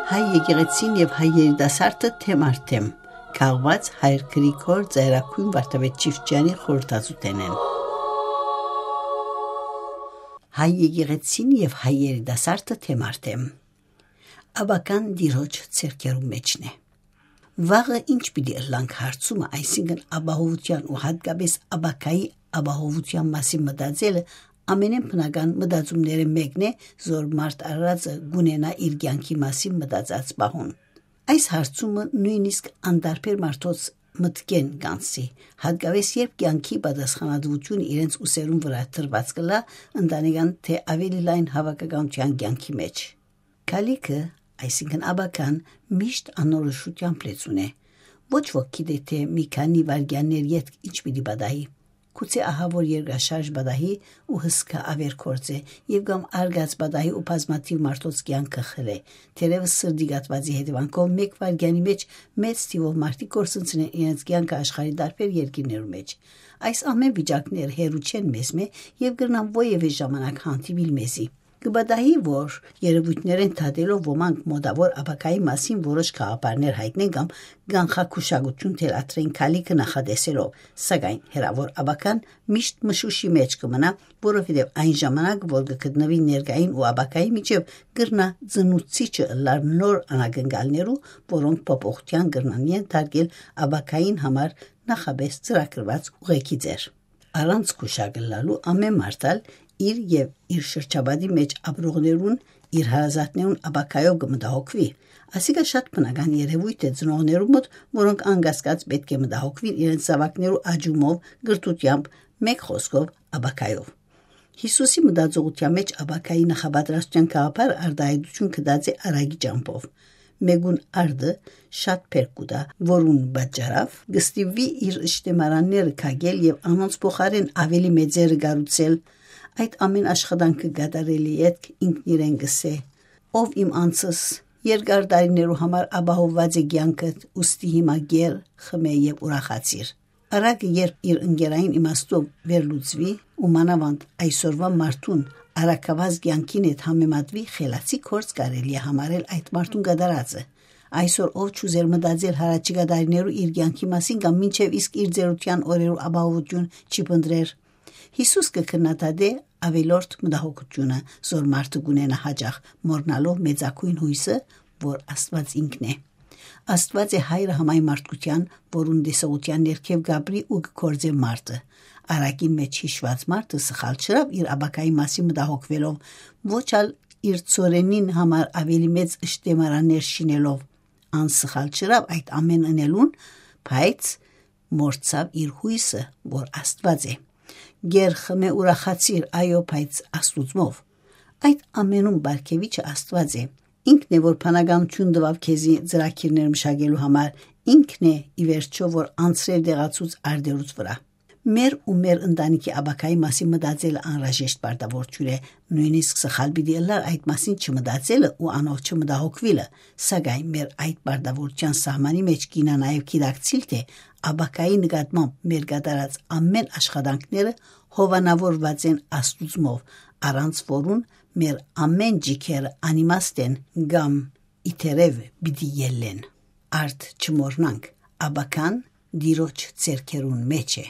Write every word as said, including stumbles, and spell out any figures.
Հայ եկեղեցին եւ հայ երիտասարդը թեմ առ թեմ, քաղուած հայր Գրիգոր Ծայրագոյն Վարդապետ Չիֆճեանի խորհրդածութենէն։ Հայ եկեղեցին եւ հայ երիտասարդը թեմ առ թեմ։ Աբական Տիրոջ ձեռքերու մէջն է։ Վաղը ինչ պիտի ըլլանք հարցումը, այսինքն ապահովութեան ու յատկապէս աբակայի ապահովութեան մասին մտածելը, ամենէն բնական մտածումներէն մէկն է, զոր մարդ արարածը կունենայ իր կեանքի մասին մտածած պահուն։ Այս հարցումը նոյնիսկ անտարբեր մարդոց մտքէն կ'անցի, յատկապէս երբ կեանքի պատասխանատուութիւնը իրենց ուսերուն վրայ դրուած կ'ըլլայ ընտանեկան թէ աւելի լայն հաւաքականութեան կեանքի մէջ։ Քալիքը, այսինքն աբական, միշտ անորոշութեամբ լեցուն է։ Ոչ ոք գիտէ թէ մի քանի վայրկեաններ ետք ինչ պիտի պատահի։ Գուցե ահաւոր երկրաշարժ պատահի ու հսկայ աւեր գործէ, եւ կամ արկած պատահի ու բազմաթիւ մարդոց կեանքը խլէ։ Թերեւս սրտի կաթուածի հետեւանքով մէկ վայրկեանի մէջ մեծ թիւով մարդիկ կորսնցնեն իրենց կեանքը աշխարհի տարբեր երկիրներու մէջ։ Այս ամէն վիճակները հեռու չեն մեզմէ եւ կրնան որեւէ ժամանակ հանդիպիլ մեզի։ Կը պատահի, որ երեւոյթներէն դատելով ոմանք մօտաւոր աբակայի մասին որոշ գաղափարներ յայտնեն կամ կանխագուշակութիւն թելադրեն քալիքը նախատեսելով, սակայն հեռաւոր աբական միշտ մշուշի մէջ կը մնայ, որովհետեւ այն ժամանակ, որ կը գտնուի ներկային ու աբակայի միջեւ, կրնայ ծնուցիչը ըլլալ նոր անակնկալներու, որոնք փոփոխութեան կրնան ենթարկել աբակային համար նախապէս ծրագրուած ուղեգիծեր։ Առանց գուշակ ըլլալու ամէն մարդ ալ իր եւ իր շրջապատի մէջ ապրողներուն, իր հարազատներուն աբակայով կը մտահոգուի։ Ասիկա շատ բնական երեւոյթ է ծնողներու մոտ, որոնք անկասկած պէտք է մտահոգուին իրենց զաւակներու աճումով, կրթութեամբ, մէկ խօսքով՝ աբակայով։ Յիսուսի մտածողութեան մէջ աբակայի նախապատրաստութեան գաղափարը արտայայտութիւն գտած է արագի ճամբով։ Մէկուն արդը շատ բերք կու տայ, որուն պատճառաւ կը ստիպուի իր ըշտեմարանները քակել եւ անոնց փոխարէն աւելի մեծերը կառուցել։ Այդ ամէն աշխատանքը կատարելէ ետք ինքն իրեն կ'ըսէ. «Ով իմ անձս, երկար տարիներու համար ապահովուած է կեանքդ, ուստի հիմա կեր, խմէ եւ ուրախացիր»։ Արագը երբ իր ընկերային իմաստով վերլուծուի ու մանաւանդ այսօրուան մարդուն արագաւազ կեանքին հետ համեմատուի, խելացի գործ կարելի է համարել այդ մարդուն կատարածը։ Այսօր ով չուզեր մտածել յառաջիկայ տարիներու իր կեանքի մասին կամ մինչեւ իսկ իր ծերութեան օրերու ապահովութիւն չի փնտռեր։ Յիսուս կը քննադատէ աւելորդ մտահոգութիւնը, զոր մարդը կունենայ յաճախ, մոռնալով մեծագոյն յոյսը, որ Աստուած ինքն է։ Աստուած է հայրը համայն մարդկութեան, որուն տեսողութեան ներքեւ կ'ապրի ու կը գործէ մարդը։ Արագին մէջ յիշուած մարդը սխալ չըրաւ իր աբակայի մասին մտահոգուելով, ոչ ալ իր ծորենին համար աւելի մեծ ըշտեմարաններ շինելով։ Ան սխալ չըրաւ այդ ամէն ընելուն, բայց մոռցաւ իր յոյսը, որ Աստուած է։ «Գեր խմէ ուրախացիր, այո, բայց Աստուծմով»։ Այդ ամենում պարգեւիչը Աստուած է։ Ինքն է, որ բանականութիւն տուաւ քեզի ծրագիրներ մշակելու համար, ինքն է, ի վերջոյ, որ անցրեր տեղացուց արդերուց վրայ։ Մեր ու մեր ընտանիքի աբակայի մասին մտածելը անհրաժեշտ պարտաւորութիւն է, նոյնիսկ սխալ պիտի ըլլար այդ մասին չմտածելը ու անով չմտահոգուիլը, սակայն մեր այդ պարտաւորութեան սահմանի մէջ կ'իյնայ նաեւ գիտակցիլ թէ աբակայի նկատմամբ մեր կատարած ամէն աշխատանքները հովանաւորուած են Աստուծմով, առանց որուն մեր ամէն ճիգերը անիմաստ են կամ ի դերեւ պիտի ելլեն։ Արդ չմոռնանք, աբական Տիրոջ ձեռքերուն մէջ է։